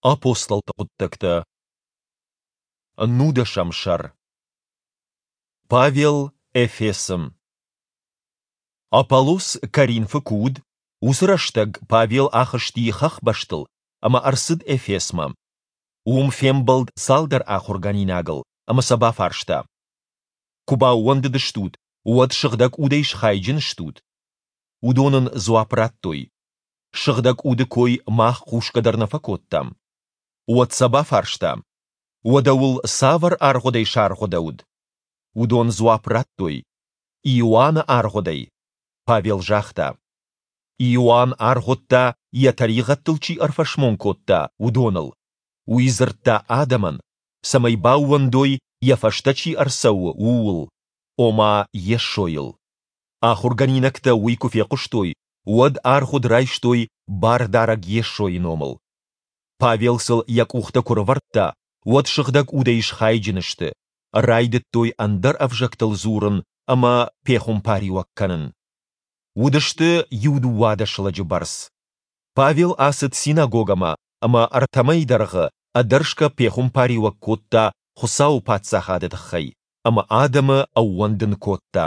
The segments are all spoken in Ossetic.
Апостолты хъуыддӕгтӕ. Нудӕсӕм сӕр. Павел Эфесы. Аполлос Коринфы куы уыд, уыцы рӕстӕг Павел ахызти хӕхбӕстыл ӕмӕ ӕрцыд Эфесмӕ. Уым фембӕлд цалдӕр ахуыргӕнинагыл ӕмӕ сӕ бафарста: Куы баууӕндыдыстут, уӕд Сыгъдӕг Удӕй схайджын стут? Уыдон ын дзуапп радтой: Сыгъдӕг Уды кой мах хъусгӕ дӕр нӕ фӕкодтам. Уӕд сӕ бафарста: Уӕдӕ уыл цавӕр аргъуыдӕй саргъуыдӕуыд? Уыдон дзуапп радтой: Иоанны аргъуыдӕй. Павел загъта: Иоанн аргъуыдта, йӕ тӕригъӕдтыл чи ӕрфӕсмон кодта, уыдоныл. Уый дзырдта адӕмӕн, цӕмӕй баууӕндой, йӕ фӕстӕ чи ӕрцӕуы, ууыл, ома Йесойыл. Ахуыргӕнинӕгтӕ уый куы фехъуыстой, уӕд аргъуыд райстой Бардарӕг Йесойы номыл. Павел сыл йӕ къухтӕ куы рывӕрдта, уӕд Сыгъдӕг Удӕй схайджын сты, райдыдтой ӕндӕр ӕвзӕгтыл дзурын ӕмӕ пехуымпариуӕг кӕнын. Уыдысты иу-дыууадӕс лӕджы бӕрц. Павел ацыд синагогӕмӕ ӕмӕ ӕртӕ мӕйы дӕргъы ӕдӕрсгӕ пехуымпариуӕг кодта Хуыцауы Паддзахады тыххӕй ӕмӕ адӕмы ӕууӕндын кодта.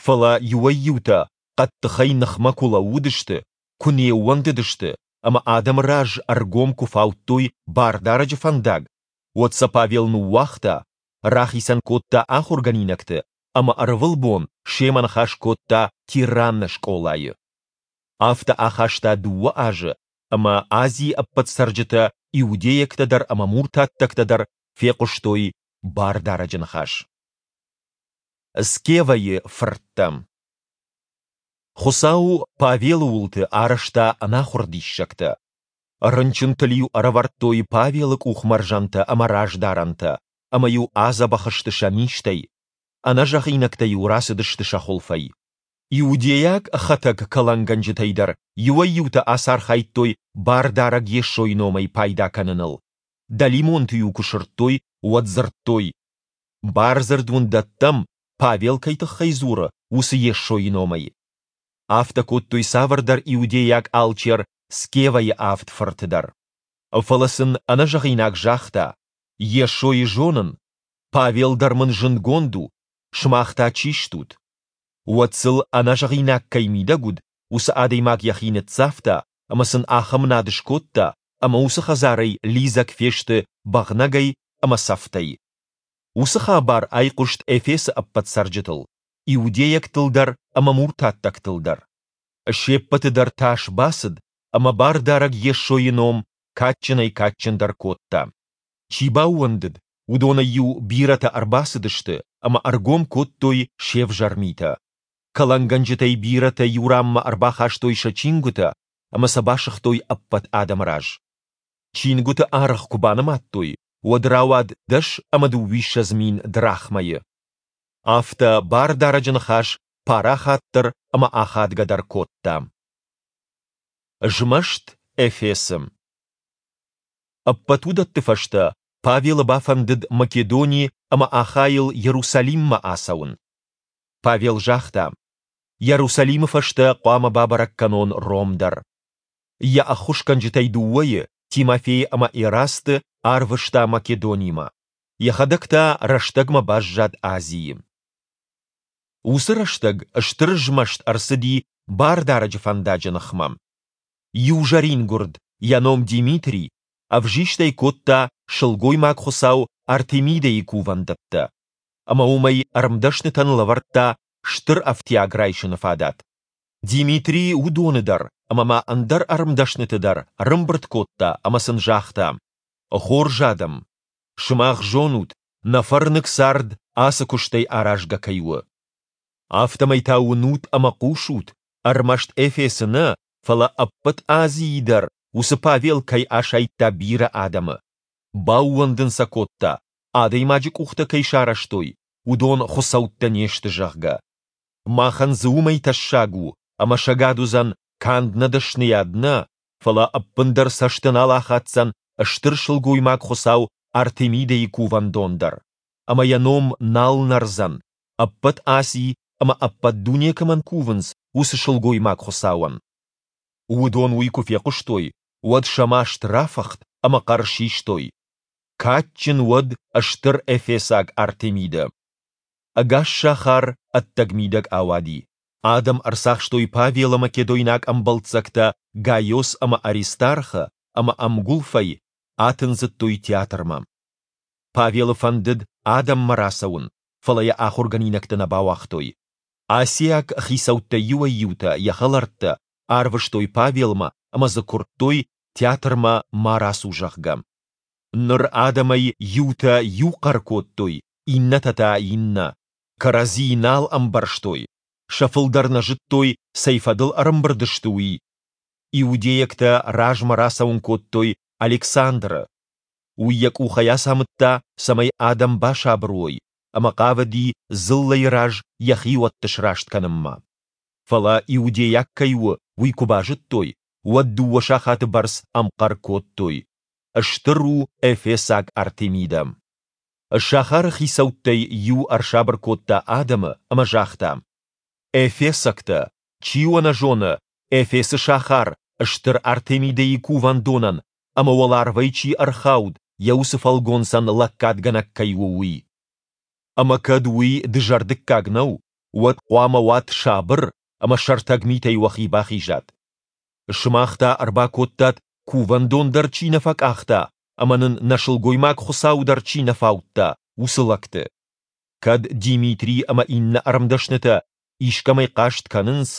Фӕлӕ иуӕй-иутӕ хъӕддыхӕй ныхмӕ куы лӕууыдысты, куы не ууӕндыдысты ӕмӕ адӕмы раз ӕргом куы фаудтой Бардарӕджы фӕндаг, уӕд сӕ Павел ныууагъта, рахицӕн кодта ахуыргӕнинӕгты ӕмӕ ӕрвылбон семӕ ныхас кодта Тиранны скъолайы. Афтӕ ахаста дыууӕ азы, ӕмӕ Азийы ӕппӕт цӕрджытӕ, иудейӕгтӕ дӕр ӕмӕ муртаттӕгтӕ дӕр, фехъуыстой Бардарӕджы ныхас. Скевӕйы фырттӕ. Хуыцау Павелы уылты арӕзта ӕнахуыр диссӕгтӕ. Рынчынтыл-иу ӕрӕвӕрдтой Павелы къухмӕрзӕнтӕ ӕмӕ раздарӕнтӕ, ӕмӕ-иу адзӕбӕх сты сӕ низтӕй, ӕнӕзӕгъинӕгтӕ-иу рацыдысты сӕ хуылфӕй. Иудейаг хӕтӕг кӕлӕнгӕнджытӕй дӕр иуӕй-иутӕ ацархайдтой Бардарӕг Йесойы номӕй пайда кӕныныл. Дӕлимонты-иу куы сырдтой, уӕд дзырдтой: Бардзырд уын дӕттӕм, Павел кӕй тыххӕй дзуры, уыцы Йесойы номӕй. Афтӕ кодтой цавӕрдӕр иудейаг алчер Скевӕйы авд фырты дӕр. Фӕлӕ сын ӕнӕзӕгъинаг загъта: Йесойы зонын, Павел дӕр мын зындгонд у, сымах та чи стут? Уӕд сыл, ӕнӕзӕгъинаг кӕй мидӕг уыд, уыцы адӕймаг йӕхи ныццавта ӕмӕ сын ахӕм над скодта, ӕмӕ уыцы хӕдзарӕй лидзӕг фесты бӕгънӕгӕй ӕмӕ цӕфтӕй. Уыцы хабар айхъуыст Эфесы ӕппӕт цӕрджытыл, иудейӕгтыл дӕр ӕмӕ муртаттӕгтыл дӕр. Се ппӕты дӕр тас бацыд, ӕмӕ Бардарӕг Йесойы ном кадджынӕй-кадджындӕр кодта. Чи баууӕндыд, уыдонӕй-иу бирӕтӕ ӕрбацыдысты ӕмӕ ӕргом кодтой се взӕр митӕ. Кӕлӕнгӕнджытӕй бирӕтӕ иу ранмӕ ӕрбахастой сӕ чингуытӕ ӕмӕ сӕ басыгътой ӕппӕт адӕмы раз. Чингуыты аргъ куы банымадтой, уӕд рауад 210 000 драхмӕйы. Афтӕ Бардарӕджы ныхас парахатдӕр ӕмӕ ахадгӕдӕр кодта. Змӕст Эфесы. Ӕппӕт уыдӕтты фӕстӕ Павелы бафӕндыд Македони ӕмӕ Ахайыл Иерусалиммӕ ацӕуын. Павел загъта: Иерусалимы фӕстӕ хъуамӕ бабӕрӕг кӕнон Ром дӕр. Йӕ ӕххуысгӕнджытӕй дыууӕйы, Тимофей ӕмӕ Эрасты, арвыста Македонимӕ. Йӕхӕдӕг та рӕстӕгмӕ баззад Азийы. Уыцы рӕстӕг стыр змӕст ӕрцыди Бардарӕджы фӕндаджы ныхмӕ. Иу зӕрингуырд, йӕ ном Димитрий, ӕвзистӕй кодта сылгоймаг-хуыцау Артемидӕйы кувӕндӕттӕ, ӕмӕ уымӕй ӕрмдӕснытӕн лӕвӕрдта стыр ӕфтиаг райсыны фадат. Димитрий уыдоны дӕр ӕмӕ ма ӕндӕр ӕрмдӕсныты дӕр ӕрӕмбырд кодта ӕмӕ сын загъта: Хорз адӕм, сымах зонут, нӕ фӕрныг цард ацы куыстӕй аразгӕ кӕй у. Афтӕмӕй та уынут ӕмӕ хъусут, ӕрмӕст Эфесы нӕ, фӕлӕ ӕппӕт Азийы дӕр уыцы Павел кӕй асайдта бирӕ адӕмы. Баууӕндын сӕ кодта, адӕймаджы къухтӕ кӕй сарӕзтой, уыдон хуыцӕуттӕ не сты, зӕгъгӕ. Махӕн дзы уымӕй тӕссаг у, ӕмӕ сӕгад уыдзӕн канд нӕ дӕсныйад нӕ, фӕлӕ ӕппындӕр цӕсты нал ахаддзӕн стыр сылгоймаг-хуыцау Артемидӕйы кувӕндон дӕр, ӕмӕ йӕ ном нал нӕрдзӕн, ӕппӕт Аси ӕмӕ ӕппӕт дуне кӕмӕн кувынц, уыцы сылгоймаг-хуыцауӕн. Уыдон уый куы фехъуыстой, уӕд сӕ маст рафыхт. ӕмӕ хъӕр систой, Кадджын уӕд стыр эфесаг Артемидӕ! Ӕгас сахар ӕддӕг-мидӕг ауади. Адӕм ӕрцахстой Павелы македойнаг ӕмбӕлццӕгтӕ Гайос ӕмӕ Аристархы ӕмӕ ӕмгуылфӕй атындзыдтой театрмӕ. Павелы фӕндыд адӕммӕ рацӕуын, фӕлӕ йӕ ахуыргӕнинӕгтӕ нӕ бауагътой. Асиаг хицӕуттӕй иуӕй-иутӕ, йӕ хӕлӕрттӕ, арвыстой Павелмӕ ӕмӕ дзы куырдтой, театрмӕ ма рацу, зӕгъгӕ. Ныр адӕмӕй иутӕ иу хъӕр кодтой, иннӕтӕ та иннӕ. Кӕрӕдзи нал ӕмбӕрстой, сӕ фылдӕр нӕ зыдтой, цӕй фӕдыл ӕрӕмбырд сты, уый. Иудейӕгтӕ размӕ рацӕуын кодтой Александры. Уый йӕ къухӕй ацамыдта, цӕмӕй адӕм басабыр уой, ӕмӕ хъавыди дзыллӕйы раз йӕ хиуӕтты сраст кӕнынмӕ. Фӕлӕ иудейаг кӕй у, уый куы базыдтой, уӕд дыууӕ сахаты бӕрц ӕмхъӕр кодтой, Стыр у эфесаг Артемидӕ! Сахары хицӕуттӕй иу ӕрсабыр кодта адӕмы ӕмӕ загъта, Эфесӕгтӕ, чи уӕ нӕ зоны, Эфесы сахар стыр Артемидӕйы кувӕндонӕн ӕмӕ уӕларвӕй чи ӕрхауд, йӕ уыцы фӕлгонцӕн лӕггадгӕнӕг кӕй у, уый? Ӕмӕ кӕд уый дызӕрдыггаг нӕу, уӕд хъуамӕ уат сабыр ӕмӕ сӕртӕг митӕй уӕхи бахизат. Сымах та ӕрбакодтат, кувӕндон дӕр чи нӕ фӕкъахта ӕмӕ нын нӕ сылгоймаг хуыцауы дӕр чи нӕ фаудта, уыцы лӕгты. Кӕд Димитрий ӕмӕ иннӕ ӕрмдӕснытӕ искӕмӕй хъаст кӕнынц,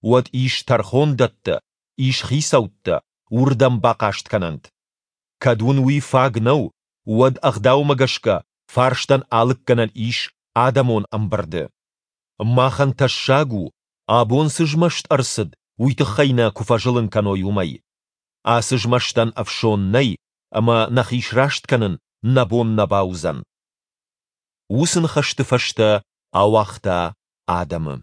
уӕд ис тӕрхондӕттӕ, ис хицӕуттӕ, уырдӕм бахъаст кӕнӕнт. Кӕд уын уый фаг нӕу, уӕд ӕгъдаумӕ гӕсгӕ фарстӕн алыггӕнӕн ис адӕмон ӕмбырды. Махӕн тӕссаг у, абон цы змӕст ӕрцыд, уый тыххӕй нӕ куы фӕзылын кӕной, уымӕй. Ацы змӕстӕн ӕфсон нӕй, ӕмӕ нӕхи сраст кӕнын нӕ бон нӕ бауыдзӕн. Уыцы ныхӕсты фӕстӕ ауагъта адӕмы.